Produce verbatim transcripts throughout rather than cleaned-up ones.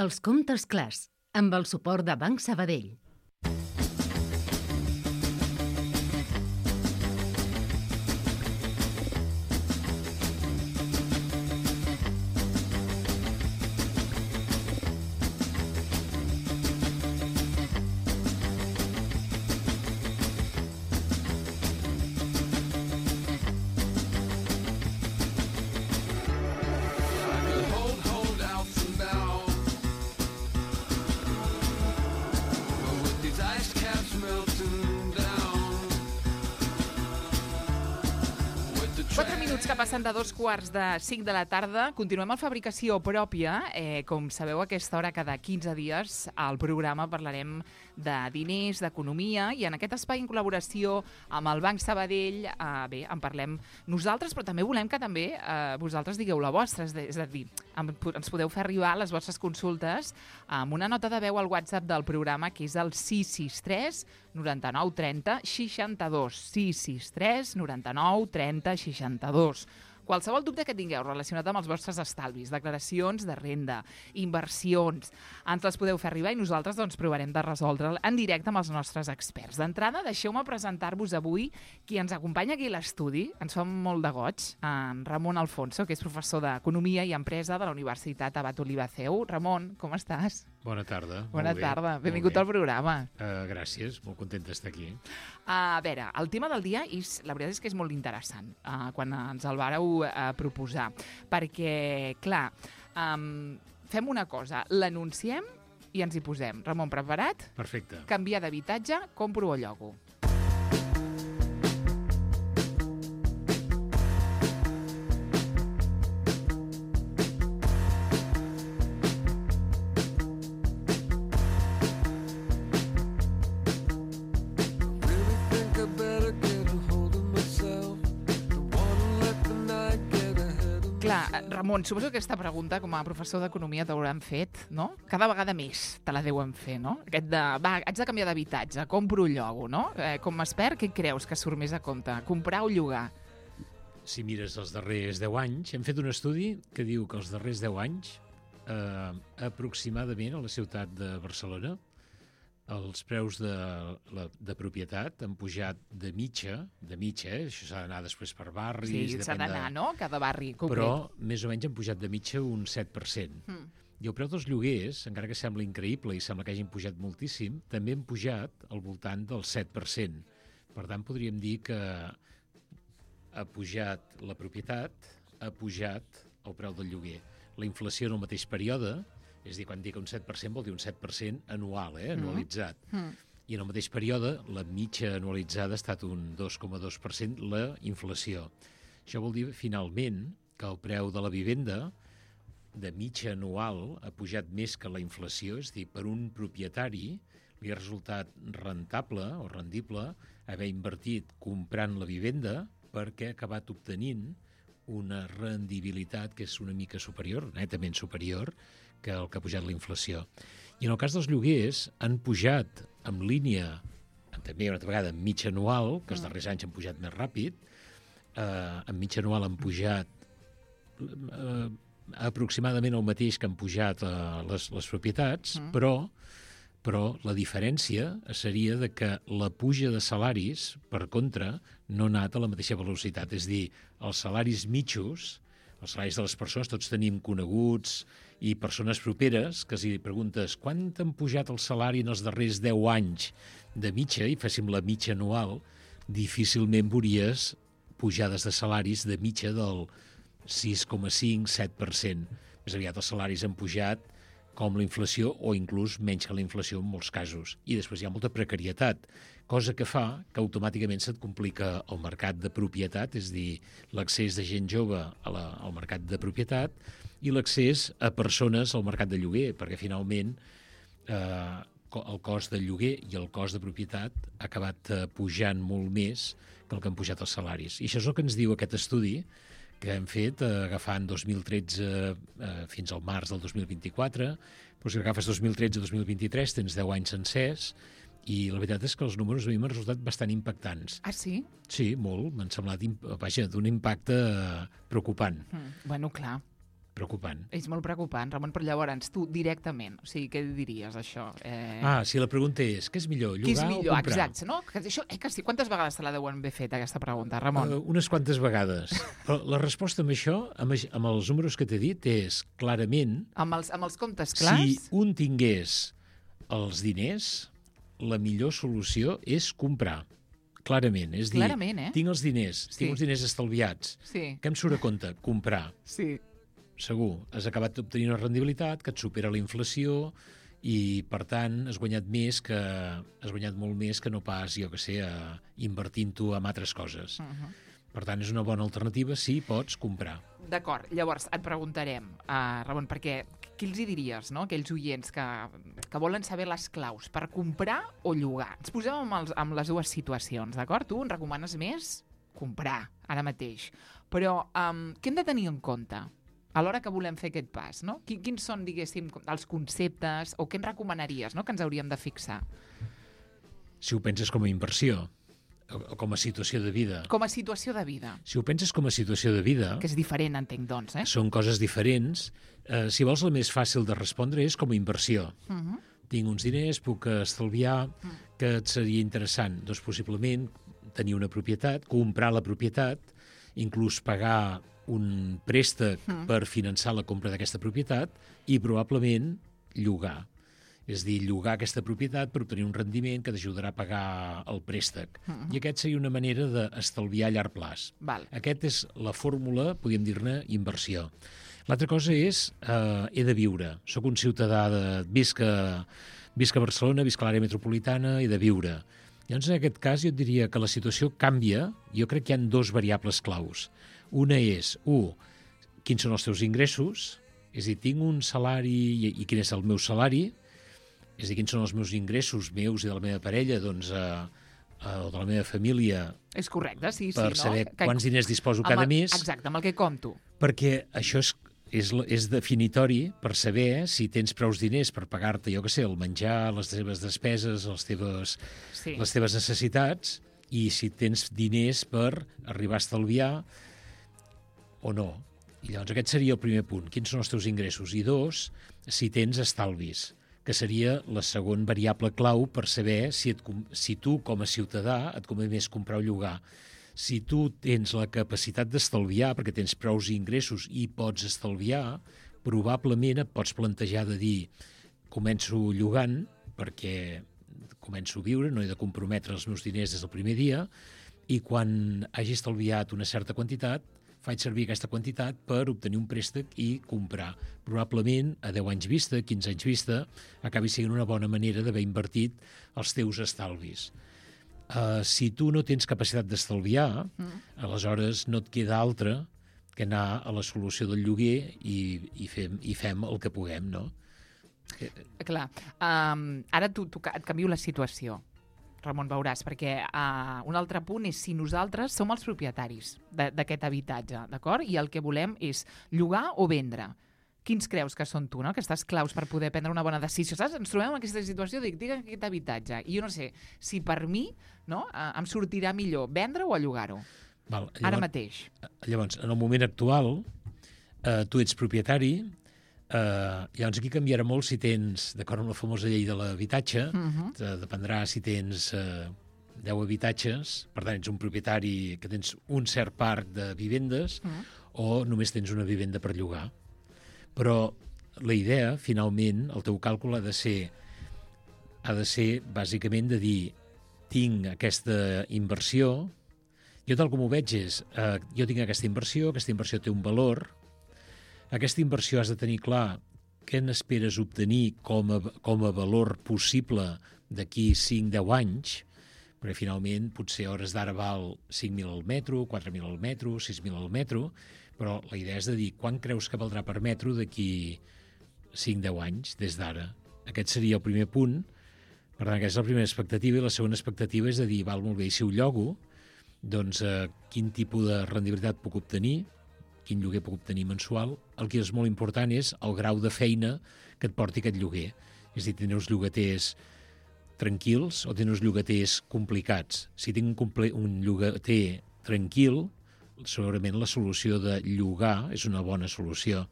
Els comptes clars, amb el suport de Banc Sabadell. Quatre minuts que passen de dos quarts de cinc de la tarda. Continuem amb fabricació pròpia. Eh, com sabeu, a aquesta hora, cada quinze dies, al programa parlarem de diners, d'economia, i en aquest espai, en col·laboració amb el Banc Sabadell, eh, bé, en parlem nosaltres, però també volem que també eh, vosaltres digueu la vostra. És a dir, ens podeu fer arribar les vostres consultes amb una nota de veu al WhatsApp del programa, que és el sis sis tres noranta-nou trenta seixanta-dos. sis sis tres noranta-nou trenta seixanta-dos. Qualsevol dubte que tingueu relacionat amb els vostres estalvis, declaracions de renda, inversions, ens les podeu fer arribar i nosaltres doncs, provarem de resoldre'l en directe amb els nostres experts. D'entrada, deixeu-me presentar-vos avui qui ens acompanya aquí a l'estudi. Ens fa molt de goig, en Ramon Alfonso, que és professor d'Economia i Empresa de la Universitat Abat Olivaceu. Ramon, com estàs? Bona tarda. Bona molt tarda. Bé. Benvingut al programa. Uh, gràcies, molt content d'estar aquí. A veure, el tema del dia, és, la veritat és que és molt interessant, uh, quan ens el vàreu uh, proposar, perquè, clar, um, fem una cosa, l'anunciem i ens hi posem. Ramon, preparat? Perfecte. Canviar d'habitatge, compro o llogo. Ramon, suposo que aquesta pregunta, com a professor d'Economia, t'hauran fet, no? Cada vegada més te la deuen fer, no? Aquest de, va, haig de canviar d'habitatge, compro o llogo, no? Eh, com a expert, què creus que surt més a compte? Comprar o llogar? Si mires els darrers deu anys, hem fet un estudi que diu que els darrers deu anys, eh, aproximadament a la ciutat de Barcelona, els preus de, la, de propietat han pujat de mitja, de mitja, eh? Això s'ha d'anar després per barris... Sí, s'ha d'anar, de... no?, cada barri concret. Però més o menys han pujat de mitja un set per cent. Mm. I el preu dels lloguers, encara que sembla increïble i sembla que hagin pujat moltíssim, també han pujat al voltant del set per cent. Per tant, podríem dir que ha pujat la propietat, ha pujat el preu del lloguer. La inflació en el mateix període... És a dir, quan dic un set per cent vol dir un set per cent anual, eh, anualitzat. Mm. I en el mateix període, la mitja anualitzada ha estat un dos coma dos per cent la inflació. Això vol dir, finalment, que el preu de la vivenda de mitja anual ha pujat més que la inflació, és a dir, per un propietari li ha resultat rentable o rendible haver invertit comprant la vivenda perquè ha acabat obtenint una rendibilitat que és una mica superior, netament superior, que el que ha pujat la inflació. I en el cas dels lloguers han pujat en línia, també una altra vegada en mitja anual, que els darrers anys han pujat més ràpid, eh, en mitja anual han pujat eh, aproximadament el mateix que han pujat eh, les, les propietats, mm. però però la diferència seria de que la puja de salaris, per contra, no ha anat a la mateixa velocitat. És a dir, els salaris mitjos, els salaris de les persones, tots tenim coneguts i persones properes que si preguntes quant han pujat el salari en els darrers deu anys de mitja, i féssim la mitja anual, difícilment veuries pujades de salaris de mitja del sis coma cinc a set per cent. Més aviat els salaris han pujat com la inflació, o inclús menys que la inflació en molts casos. I després hi ha molta precarietat, cosa que fa que automàticament se't complica el mercat de propietat, és a dir, l'accés de gent jove a la, al mercat de propietat i l'accés a persones al mercat de lloguer, perquè finalment eh, el cost del lloguer i el cost de propietat ha acabat eh, pujant molt més que el que han pujat els salaris. I això és el que ens diu aquest estudi, que hem fet eh, agafant dos mil tretze eh, fins al març del dos mil vint-i-quatre, però si agafes dos mil tretze a dos mil vint-i-tres tens deu anys sencers, i la veritat és que els números a mi m'han resultat bastant impactants. Ah, sí? Sí, molt. M'han semblat, vaja, d'un impacte preocupant. Mm, bueno, clar. preocupant. És molt preocupant, Ramon, però llavors tu directament, o sigui, què diries això? Eh... Ah, si la pregunta és, què és millor, llogar què és millor? o comprar? Exacte, no? Que això, eh, que sí. Quantes vegades te la deuen haver fet, aquesta pregunta, Ramon? Uh, unes quantes vegades. Però la resposta amb això, amb, amb els números que t'he dit, és clarament... Amb els, amb els comptes clars? Si un tingués els diners, la millor solució és comprar. Clarament. És dir, clarament, eh? tinc els diners, Sí. tinc els diners estalviats. Sí. Què em surt a compte? Comprar. Sí. Segur. Has acabat d'obtenir una rendibilitat que et supera la inflació i, per tant, has guanyat més que has guanyat molt més que no pas, jo que sé, a, invertint-ho en altres coses. Uh -huh. Per tant, és una bona alternativa si pots comprar. D'acord. Llavors, et preguntarem, uh, Ramon, perquè què els hi diries, no?, aquells oients que, que volen saber les claus per comprar o llogar? Ens posem amb, els, amb les dues situacions, d'acord? Tu ens recomanes més comprar, ara mateix. Però um, què hem de tenir en compte a l'hora que volem fer aquest pas, no? Quins són, diguéssim, els conceptes o què ens recomanaries, no?, que ens hauríem de fixar? Si ho penses com a inversió o com a situació de vida. Com a situació de vida. Si ho penses com a situació de vida... Que és diferent, entenc, doncs, eh? Són coses diferents. Eh, si vols, la més fàcil de respondre és com a inversió. Uh -huh. Tinc uns diners, puc estalviar, uh -huh. que et seria interessant? Doncs possiblement tenir una propietat, comprar la propietat, inclús pagar un préstec mm. per finançar la compra d'aquesta propietat i probablement llogar. És dir, llogar aquesta propietat per obtenir un rendiment que t'ajudarà a pagar el préstec. Mm. I aquest seria una manera d'estalviar a llarg plaç. Val. Aquest és la fórmula, podríem dir-ne, inversió. L'altra cosa és, eh, he de viure. Soc un ciutadà de... Visc a, visc a Barcelona, visc a l'àrea metropolitana, he de viure. Llavors, en aquest cas, jo et diria que la situació canvia. Jo crec que hi ha dos variables claus. Una és, un, quins són els teus ingressos? És a dir, tinc un salari i, i quin és el meu salari? És a dir, quins són els meus ingressos meus i de la meva parella, doncs, eh, eh, o de la meva família? És correcte, sí, sí. Per no? saber que, quants diners disposo cada el, mes. Exacte, amb el que compto. Perquè això és, és, és definitori per saber si tens prous diners per pagar-te, jo què sé, el menjar, les teves despeses, les teves, sí. les teves necessitats, i si tens diners per arribar a estalviar o no. I llavors aquest seria el primer punt. Quins són els teus ingressos? I dos, si tens estalvis, que seria la segona variable clau per saber si, et, si tu, com a ciutadà, et convé més comprar o llogar. Si tu tens la capacitat d'estalviar, perquè tens prous ingressos i pots estalviar, probablement et pots plantejar de dir començo llogant perquè començo a viure, no he de comprometre els meus diners des del primer dia, i quan hagi estalviat una certa quantitat, faig servir aquesta quantitat per obtenir un préstec i comprar. Probablement, a deu anys vista, quinze anys vista, acabi sent una bona manera d'haver invertit els teus estalvis. Uh, si tu no tens capacitat d'estalviar, mm. aleshores no et queda altra que anar a la solució del lloguer i, i, fem, i fem el que puguem, no? Clar. Um, ara tu, tu, et canvio la situació, Ramon, veuràs, perquè uh, un altre punt és si nosaltres som els propietaris d'aquest habitatge, d'acord? I el que volem és llogar o vendre. Quins creus que són tu, no?, aquestes claus per poder prendre una bona decisió? Saps? Ens trobem en aquesta situació, dic, digue aquest habitatge. I jo no sé si per mi, no, uh, em sortirà millor vendre o llogar-ho. Val, llavors, ara mateix. Llavors, en el moment actual, eh, tu ets propietari, Uh, llavors aquí canviarà molt si tens, d'acord amb la famosa llei de l'habitatge, uh-huh. te dependrà si tens uh, deu habitatges, per tant ets un propietari que tens un cert parc de vivendes, uh-huh. o només tens una vivenda per llogar. Però la idea, finalment, el teu càlcul ha de ser, ha de ser bàsicament de dir, tinc aquesta inversió, jo tal com ho veig és, uh, jo tinc aquesta inversió, aquesta inversió té un valor. Aquesta inversió has de tenir clar què n'esperes obtenir com a, com a valor possible d'aquí cinc a deu anys, perquè finalment potser a hores d'ara val cinc mil al metro, quatre mil al metro, sis mil al metro, però la idea és de dir quan creus que valdrà per metro d'aquí cinc a deu anys des d'ara. Aquest seria el primer punt. Per tant, aquesta és la primera expectativa, i la segona expectativa és de dir, val, molt bé, i si ho llogo, doncs eh, quin tipus de rendibilitat puc obtenir, quin lloguer puc obtenir mensual. El que és molt important és el grau de feina que et porti aquest lloguer. És a dir, tenir uns llogaters tranquils o tenir uns llogaters complicats. Si tinc un, comple un llogater tranquil, segurament la solució de llogar és una bona solució,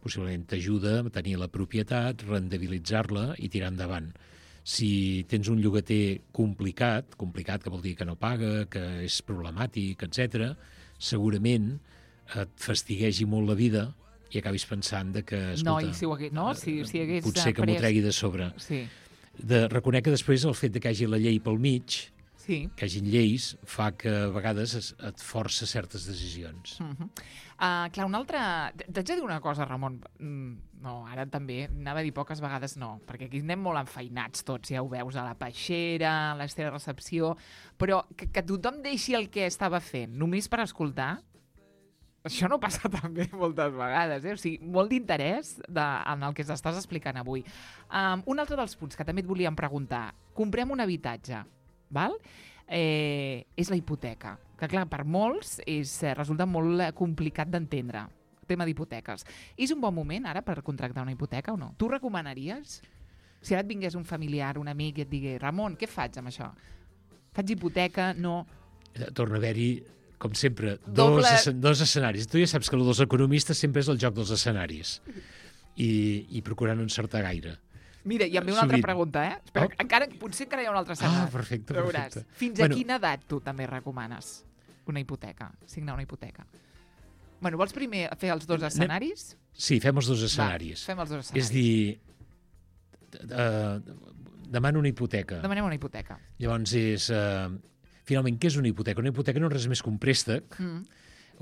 possiblement t'ajuda a tenir la propietat, rendibilitzar-la i tirar endavant. Si tens un llogater complicat, complicat que vol dir que no paga, que és problemàtic, etcètera, segurament et fastiguegi molt la vida i acabis pensant de que, escolta, no, i si ho hagués, no? Si, si hagués potser que pres... m'ho tregui de sobre. Sí. De, reconec que després el fet de que hi hagi la llei pel mig, sí. que hi hagi lleis, fa que a vegades es, et força certes decisions. Uh -huh. uh, clar, una altra... T'haig de dir una cosa, Ramon. Mm, no, ara també, anava a dir poques vegades no, perquè aquí anem molt enfeinats tots, ja ho veus, a la peixera, a l'estera recepció, però que, que tothom deixi el que estava fent només per escoltar, això no passa també moltes vegades, eh? O sigui, molt d'interès en el que s'estàs explicant avui. Um, un altre dels punts que també et volíem preguntar. Comprem un habitatge, val? Eh, és la hipoteca, que clar, per molts és, resulta molt complicat d'entendre, el tema d'hipoteques. És un bon moment ara per contractar una hipoteca o no? Tu recomanaries? Si ara et vingués un familiar, un amic i et digués, Ramon, què faig amb això? Faig hipoteca? No? Torna a haver-hi, com sempre, Doble... dos, dos escenaris. Tu ja saps que el dels economistes sempre és el joc dels escenaris i, i procurar no encertar gaire. Mira, i em ve una Sovint. altra pregunta, eh? Espera, Oh. encara, potser encara hi ha un altre escenari. Ah, perfecte, perfecte. Fins bueno, a quina edat tu també recomanes una hipoteca, signar una hipoteca? Bueno, vols primer fer els dos escenaris? Sí, fem els dos escenaris. Va, fem els dos escenaris. És dir, uh, demano una hipoteca. Demanem una hipoteca. Llavors és... Uh, finalment, què és una hipoteca? Una hipoteca no és res més que un préstec, Mm.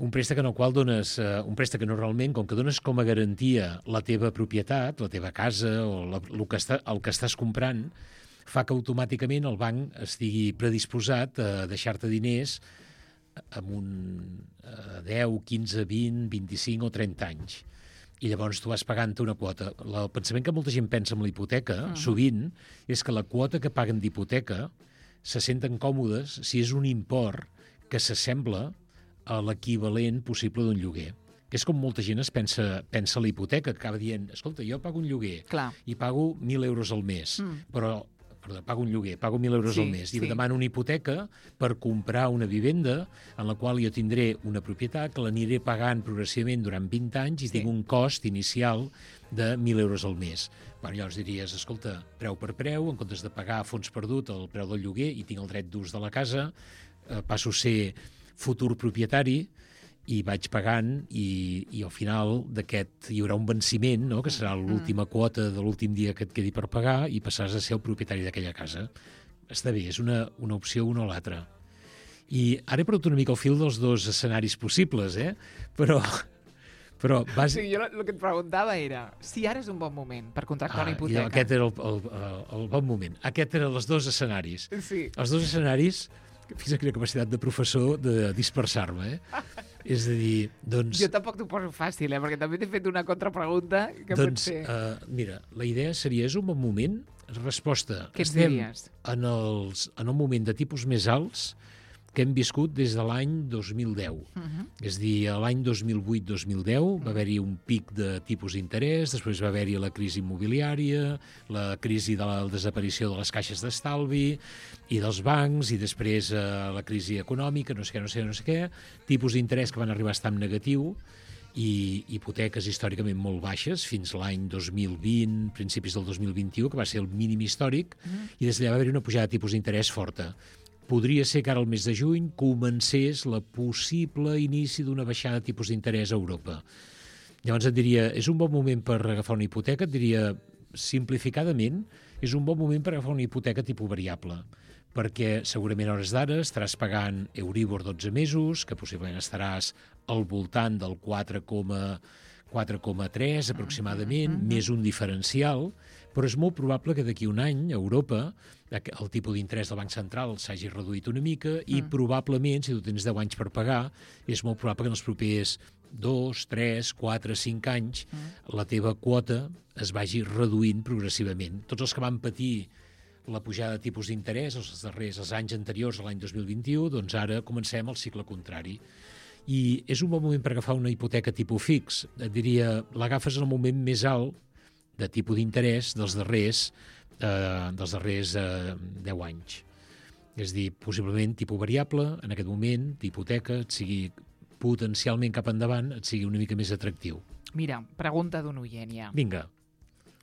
un préstec en el qual dones, uh, un préstec que no realment, com que dones com a garantia la teva propietat, la teva casa o la, el, que està, el que estàs comprant, fa que automàticament el banc estigui predisposat a deixar-te diners amb un uh, deu, quinze, vint, vint-i-cinc o trenta anys. I llavors tu vas pagant una quota. El pensament que molta gent pensa en la hipoteca, uh -huh. sovint, és que la quota que paguen d'hipoteca se senten còmodes si és un import que s'assembla a l'equivalent possible d'un lloguer. Que és com molta gent es pensa, pensa la hipoteca, que acaba dient, escolta, jo pago un lloguer Clar. i pago mil euros al mes, Mm. però perdó, pago un lloguer, pago mil euros Sí, al mes, i sí. demano una hipoteca per comprar una vivenda en la qual jo tindré una propietat que l'aniré pagant progressivament durant vint anys i Sí. tinc un cost inicial de mil euros al mes. Bueno, llavors diries, escolta, preu per preu, en comptes de pagar a fons perdut el preu del lloguer i tinc el dret d'ús de la casa, eh, passo a ser futur propietari i vaig pagant i, i al final d'aquest hi haurà un venciment, no?, que serà l'última quota de l'últim dia que et quedi per pagar i passaràs a ser el propietari d'aquella casa. Està bé, és una, una opció una o l'altra. I ara he perdut una mica el fil dels dos escenaris possibles, eh? Però... Però O bàsic... sigui, jo el que et preguntava era si ara és un bon moment per contractar una Ah, hipoteca. i aquest era el, el, el, el bon moment. Aquest eren els dos escenaris. Sí. Els dos escenaris, fins a quina capacitat de professor de dispersar-me, eh? És a dir, doncs... Jo tampoc t'ho poso fàcil, eh? Perquè també t'he fet una contrapregunta que doncs, pot ser... uh, mira, la idea seria, és un bon moment? Resposta, Què ens estem diries? en, els, en un moment de tipus més alts que hem viscut des de l'any dos mil deu. Uh -huh. És a dir, l'any dos mil vuit dos mil deu va haver-hi un pic de tipus d'interès, després va haver-hi la crisi immobiliària, la crisi de la desaparició de les caixes d'estalvi i dels bancs, i després eh, la crisi econòmica, no sé què, no sé què, no sé què, tipus d'interès que van arribar a estar en negatiu, i hipoteques històricament molt baixes, fins l'any dos mil vint, principis del dos mil vint-i-u, que va ser el mínim històric, Mm. i des d'allà va haver-hi una pujada de tipus d'interès forta. Podria ser que ara, al mes de juny, comencés la possible inici d'una baixada de tipus d'interès a Europa. Llavors et diria, és un bon moment per agafar una hipoteca? Et diria, simplificadament, és un bon moment per agafar una hipoteca tipus variable, perquè segurament a hores d'ara estaràs pagant Euribor dotze mesos, que possiblement estaràs al voltant del quatre coma tres aproximadament, Mhm. més un diferencial, però és molt probable que d'aquí un any a Europa el tipus d'interès del Banc Central s'hagi reduït una mica i Mm. probablement, si tu tens deu anys per pagar, és molt probable que en els propers dos, tres, quatre, cinc anys Mm. la teva quota es vagi reduint progressivament. Tots els que van patir la pujada de tipus d'interès els darrers els anys anteriors a l'any dos mil vint-i-u, doncs ara comencem el cicle contrari. I és un bon moment per agafar una hipoteca tipus fix. Et diria, l'agafes en el moment més alt de tipus d'interès dels darrers, eh, dels darrers eh, deu anys. És a dir, possiblement tipus variable, en aquest moment, d'hipoteca, et sigui potencialment cap endavant, et sigui una mica més atractiu. Mira, pregunta d'un oient ja. Vinga.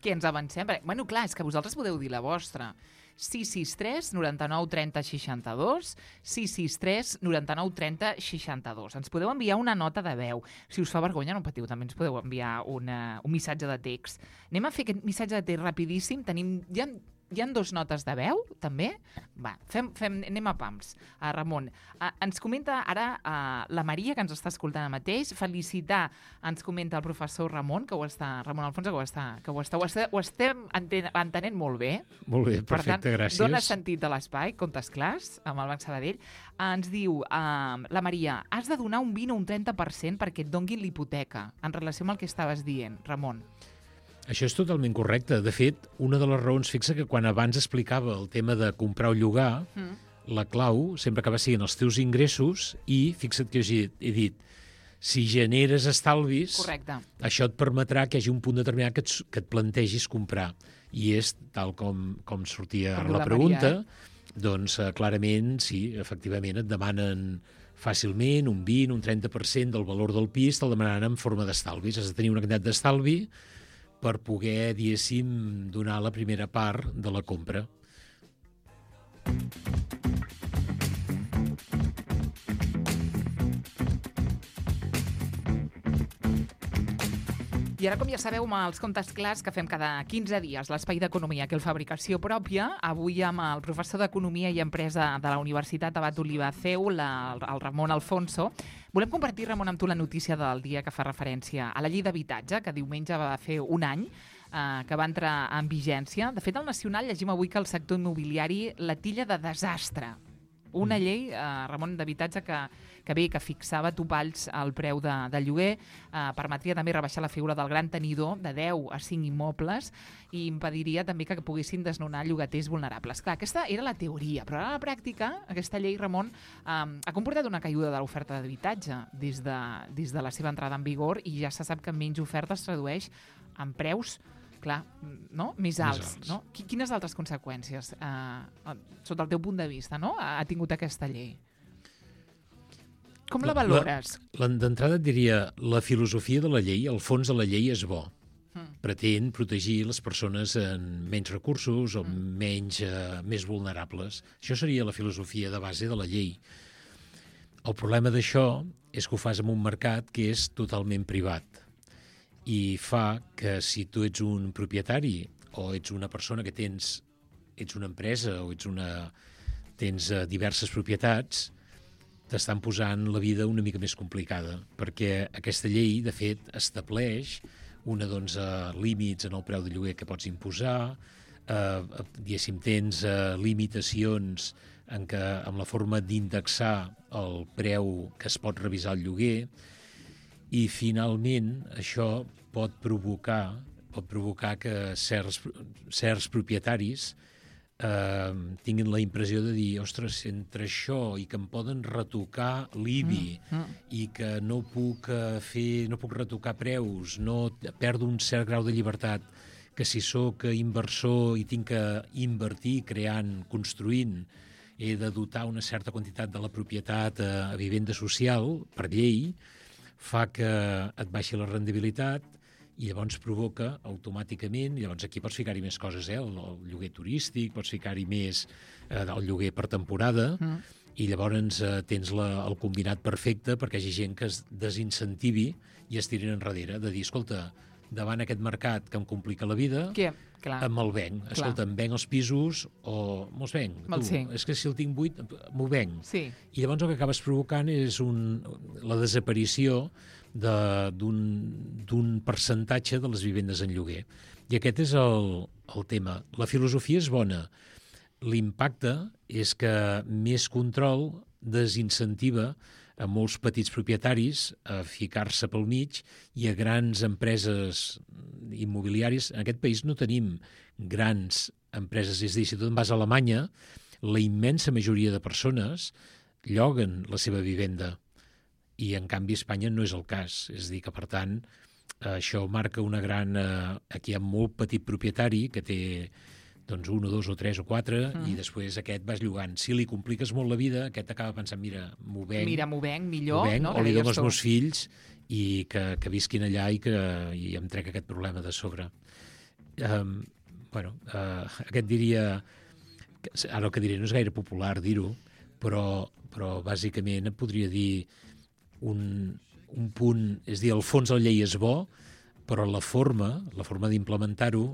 Què ens avancem? Perquè, bueno, clar, és que vosaltres podeu dir la vostra. sis sis tres, noranta-nou, trenta, seixanta-dos, sis sis tres, noranta-nou, trenta, seixanta-dos. Ens podeu enviar una nota de veu. Si us fa vergonya, no patiu, també ens podeu enviar una, un missatge de text. Anem a fer aquest missatge de text rapidíssim. Tenim, hi ha, hi ha dos notes de veu, també? Va, fem, fem, anem a pams. Uh, Ramon, uh, ens comenta ara uh, la Maria, que ens està escoltant ara mateix. Felicitar, ens comenta el professor Ramon, que ho està, Ramon Alfonso, que ho està, que ho està, ho està, ho estem enten, entenent molt bé. Molt bé, Per perfecte, tant, gràcies. dona sentit a l'espai, contes clars, amb el Banc Sabadell. Ens diu uh, la Maria, has de donar un vint o un trenta per cent perquè et donguin l'hipoteca, en relació amb el que estaves dient, Ramon. Això és totalment correcte. De fet, una de les raons, fixa que quan abans explicava el tema de comprar o llogar, mm. la clau sempre acaba sent els teus ingressos i, fixa't que he, he dit, si generes estalvis, Correcte. Això et permetrà que hi hagi un punt determinat que et, que et plantegis comprar. I és, tal com, com sortia Com la, la pregunta, Maria, eh? doncs eh, clarament, sí, efectivament, et demanen fàcilment un vint, un trenta per cent del valor del pis, te'l demanaran en forma d'estalvis. Has de tenir una quantitat d'estalvi per poder, diguéssim, donar la primera part de la compra. I ara, com ja sabeu, amb els comptes clars que fem cada quinze dies, l'espai d'economia, que el Fabricació Pròpia, avui amb el professor d'Economia i Empresa de la Universitat Abat Oliva Ceu, la, el Ramon Alfonso. Volem compartir, Ramon, amb tu la notícia del dia que fa referència a la llei d'habitatge, que diumenge va fer un any, eh, que va entrar en vigència. De fet, al Nacional llegim avui que el sector immobiliari la tilla de desastre. Una llei, eh, Ramon, d'habitatge que, que bé, que fixava topalls al preu de, de lloguer, eh, permetria també rebaixar la figura del gran tenidor de deu a cinc immobles i impediria també que poguessin desnonar llogaters vulnerables. Clar, aquesta era la teoria, però ara a la pràctica, aquesta llei, Ramon, eh, ha comportat una caiguda de l'oferta d'habitatge des de, des de la seva entrada en vigor i ja se sap que menys oferta es tradueix en preus clar, no? més alts. alts. No? Quines altres conseqüències, eh, sota el teu punt de vista, no? ha tingut aquesta llei? Com la, la valores? La, D'entrada et diria, la filosofia de la llei, el fons de la llei és bo. Mm. Pretén protegir les persones amb menys recursos o mm. menys, eh, més vulnerables. Això seria la filosofia de base de la llei. El problema d'això és que ho fas en un mercat que és totalment privat. I fa que si tu ets un propietari o ets una persona que tens, ets una empresa o ets una, tens uh, diverses propietats, t'estan posant la vida una mica més complicada, perquè aquesta llei, de fet, estableix una, doncs, uh, límits en el preu de lloguer que pots imposar, uh, diguéssim, tens uh, limitacions en què, amb la forma d'indexar el preu que es pot revisar el lloguer, i finalment això pot provocar, pot provocar que certs, certs propietaris eh, tinguin la impressió de dir, ostres, entre això i que em poden retocar l'I B I mm, mm. i que no puc fer, no puc retocar preus, no perdo un cert grau de llibertat, que si sóc inversor i tinc que invertir creant, construint, he de dotar una certa quantitat de la propietat a, a vivenda social per llei, fa que et baixi la rendibilitat i llavors provoca automàticament, i llavors aquí pots ficar-hi més coses, eh? el, el lloguer turístic, pots ficar-hi més eh, el lloguer per temporada, mm. i llavors eh, tens la, el combinat perfecte perquè hi hagi gent que es desincentivi i es tirin enrere, de dir, escolta, davant aquest mercat que em complica la vida, que, clar, me'l venc. Clar. Escolta, em venc els pisos o me'ls venc. Tu, sí. És que si el tinc buit, m'ho venc. Sí. I llavors el que acabes provocant és un, la desaparició d'un percentatge de les vivendes en lloguer. I aquest és el, el tema. La filosofia és bona. L'impacte és que més control desincentiva a molts petits propietaris a ficar-se pel mig i a grans empreses immobiliàries. En aquest país no tenim grans empreses. És a dir, si tu en vas a Alemanya, la immensa majoria de persones lloguen la seva vivenda i, en canvi, a Espanya no és el cas. És a dir, que, per tant, això marca una gran... Aquí hi ha molt petit propietari que té doncs un o dos o tres o quatre, mm. i després aquest vas llogant. Si li compliques molt la vida, aquest acaba pensant, mira, m'ho venc, mira, m'ho venc millor, venc, no? o li dono als meus fills i que, que visquin allà i que i em trec aquest problema de sobre. Um, bueno, uh, aquest diria... Ara el que diré no és gaire popular dir-ho, però, però bàsicament et podria dir un, un punt, és dir, el fons de la llei és bo, però la forma, la forma d'implementar-ho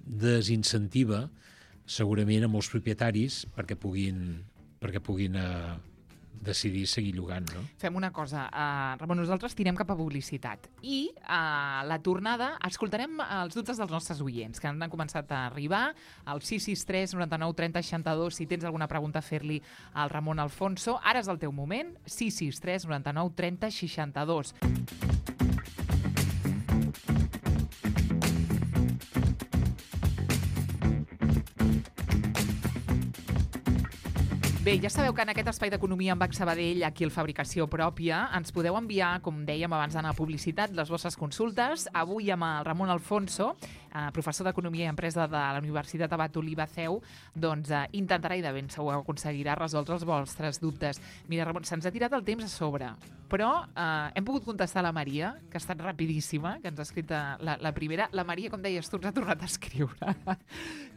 desincentiva segurament a molts propietaris perquè puguin, perquè puguin eh, decidir seguir llogant, no? Fem una cosa, uh, Ramon, nosaltres tirem cap a publicitat i a uh, la tornada escoltarem els dubtes dels nostres oients que han començat a arribar al sis sis tres nou nou trenta seixanta-dos si tens alguna pregunta a fer-li al Ramon Alfonso. Ara és el teu moment, sis sis tres nou nou trenta seixanta-dos. Bé, ja sabeu que en aquest espai d'economia amb Banc Sabadell, aquí al Fabricació Pròpia, ens podeu enviar, com dèiem abans d'anar a publicitat, les vostres consultes. Avui amb el Ramon Alfonso, eh, professor d'Economia i Empresa de la Universitat Abat Oliba C E U, doncs eh, intentarà i de ben segur aconseguirà resoldre els vostres dubtes. Mira, Ramon, se'ns ha tirat el temps a sobre, però eh, hem pogut contestar a la Maria, que ha estat rapidíssima, que ens ha escrit la, la primera. La Maria, com deies tu, ens ha tornat a escriure.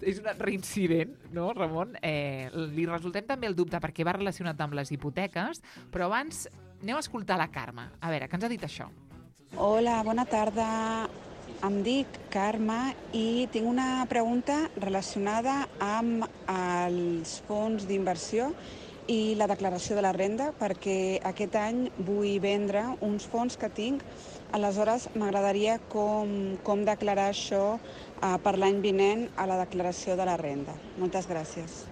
És un reincident, no, Ramon? Eh, li resultem també el dubte perquè va relacionat amb les hipoteques, però abans aneu a escoltar la Carme. A veure, què ens ha dit això? Hola, bona tarda. Em dic Carme i tinc una pregunta relacionada amb els fons d'inversió i la declaració de la renda, perquè aquest any vull vendre uns fons que tinc. Aleshores, m'agradaria com, com declarar això eh, per l'any vinent a la declaració de la renda. Moltes gràcies.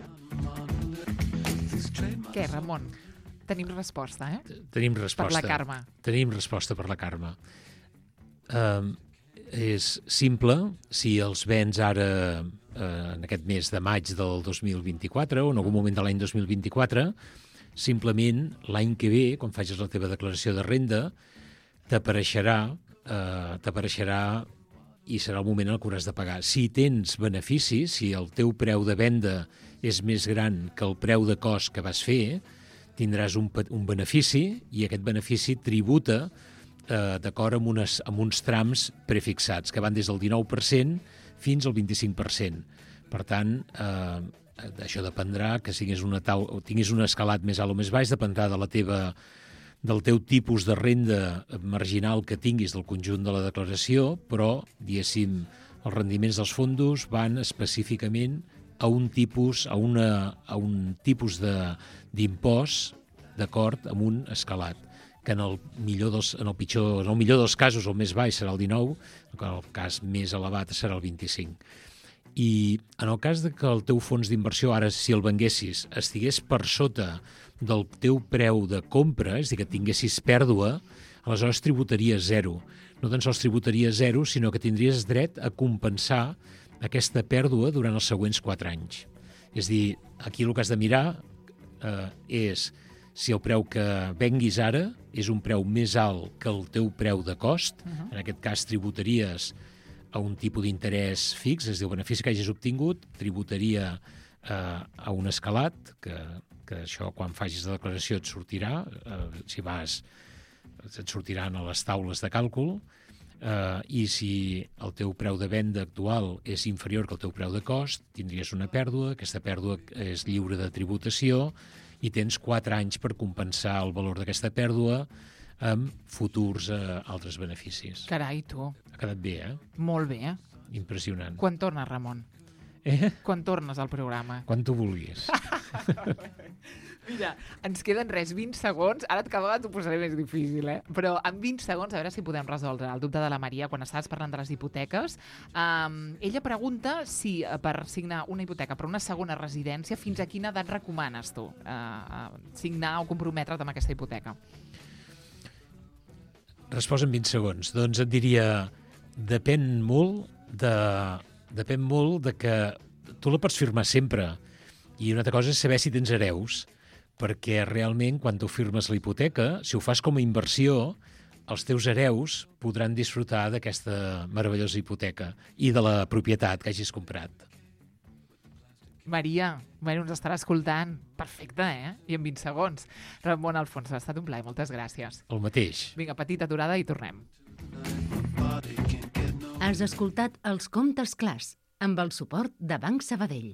Què, Ramon? Tenim resposta, eh? Tenim resposta. Per la Carme. Tenim resposta per la Carme. Um, és simple, si els vens ara uh, en aquest mes de maig del dos mil vint-i-quatre o en algun moment de l'any dos mil vint-i-quatre, simplement l'any que ve, quan facis la teva declaració de renda, t'apareixerà uh, t'apareixerà i serà el moment en què hauràs de pagar. Si tens beneficis, si el teu preu de venda és més gran que el preu de cost que vas fer, tindràs un, un benefici i aquest benefici tributa eh, d'acord amb, unes, amb uns trams prefixats, que van des del dinou per cent fins al vint-i-cinc per cent. Per tant, eh, això dependrà, que siguis una tau, o tinguis un escalat més alt o més baix, dependrà de la teva, del teu tipus de renda marginal que tinguis del conjunt de la declaració, però, diguéssim, els rendiments dels fondos van específicament a un tipus, a una, a un tipus de, d'impost d'acord amb un escalat, que en el millor dels, en el pitjor, en el millor dels casos el més baix serà el dinou, en el cas més elevat serà el vint-i-cinc. I en el cas de que el teu fons d'inversió, ara si el venguessis, estigués per sota del teu preu de compra, és a dir, que tinguessis pèrdua, aleshores tributaries zero. No tan sols tributaries zero, sinó que tindries dret a compensar aquesta pèrdua durant els següents quatre anys. És a dir, aquí el que has de mirar eh, és si el preu que venguis ara és un preu més alt que el teu preu de cost, uh-huh. En aquest cas tributaries a un tipus d'interès fix, és a dir, el benefici que hagis obtingut, tributaria eh, a un escalat, que, que això quan facis la declaració et sortirà, eh, si vas, et sortiran a les taules de càlcul, Uh, i si el teu preu de venda actual és inferior que el teu preu de cost, tindries una pèrdua, aquesta pèrdua és lliure de tributació i tens quatre anys per compensar el valor d'aquesta pèrdua amb futurs uh, altres beneficis. Carai, tu. Ha quedat bé, eh? Molt bé, eh? Impressionant. Quan tornes, Ramon? Eh? Quan tornes al programa? Quan tu vulguis. Mira, ens queden res, vint segons. Ara cada vegada t'ho posaré més difícil, eh? Però en vint segons, a veure si podem resoldre el dubte de la Maria quan estaves parlant de les hipoteques. Um, ella pregunta si per signar una hipoteca per una segona residència, fins a quina edat recomanes tu uh, uh, signar o comprometre't amb aquesta hipoteca? Resposta en vint segons. Doncs et diria, depèn molt de, depèn molt de que tu la pots firmar sempre. I una altra cosa és saber si tens hereus, perquè realment quan tu firmes la hipoteca, si ho fas com a inversió, els teus hereus podran disfrutar d'aquesta meravellosa hipoteca i de la propietat que hagis comprat. Maria, bueno, ens estarà escoltant. Perfecte, eh? I en vint segons. Ramon Alfons, ha estat un plaer, moltes gràcies. El mateix. Vinga, petita aturada i tornem. Has escoltat Els Comptes Clars, amb el suport de Banc Sabadell.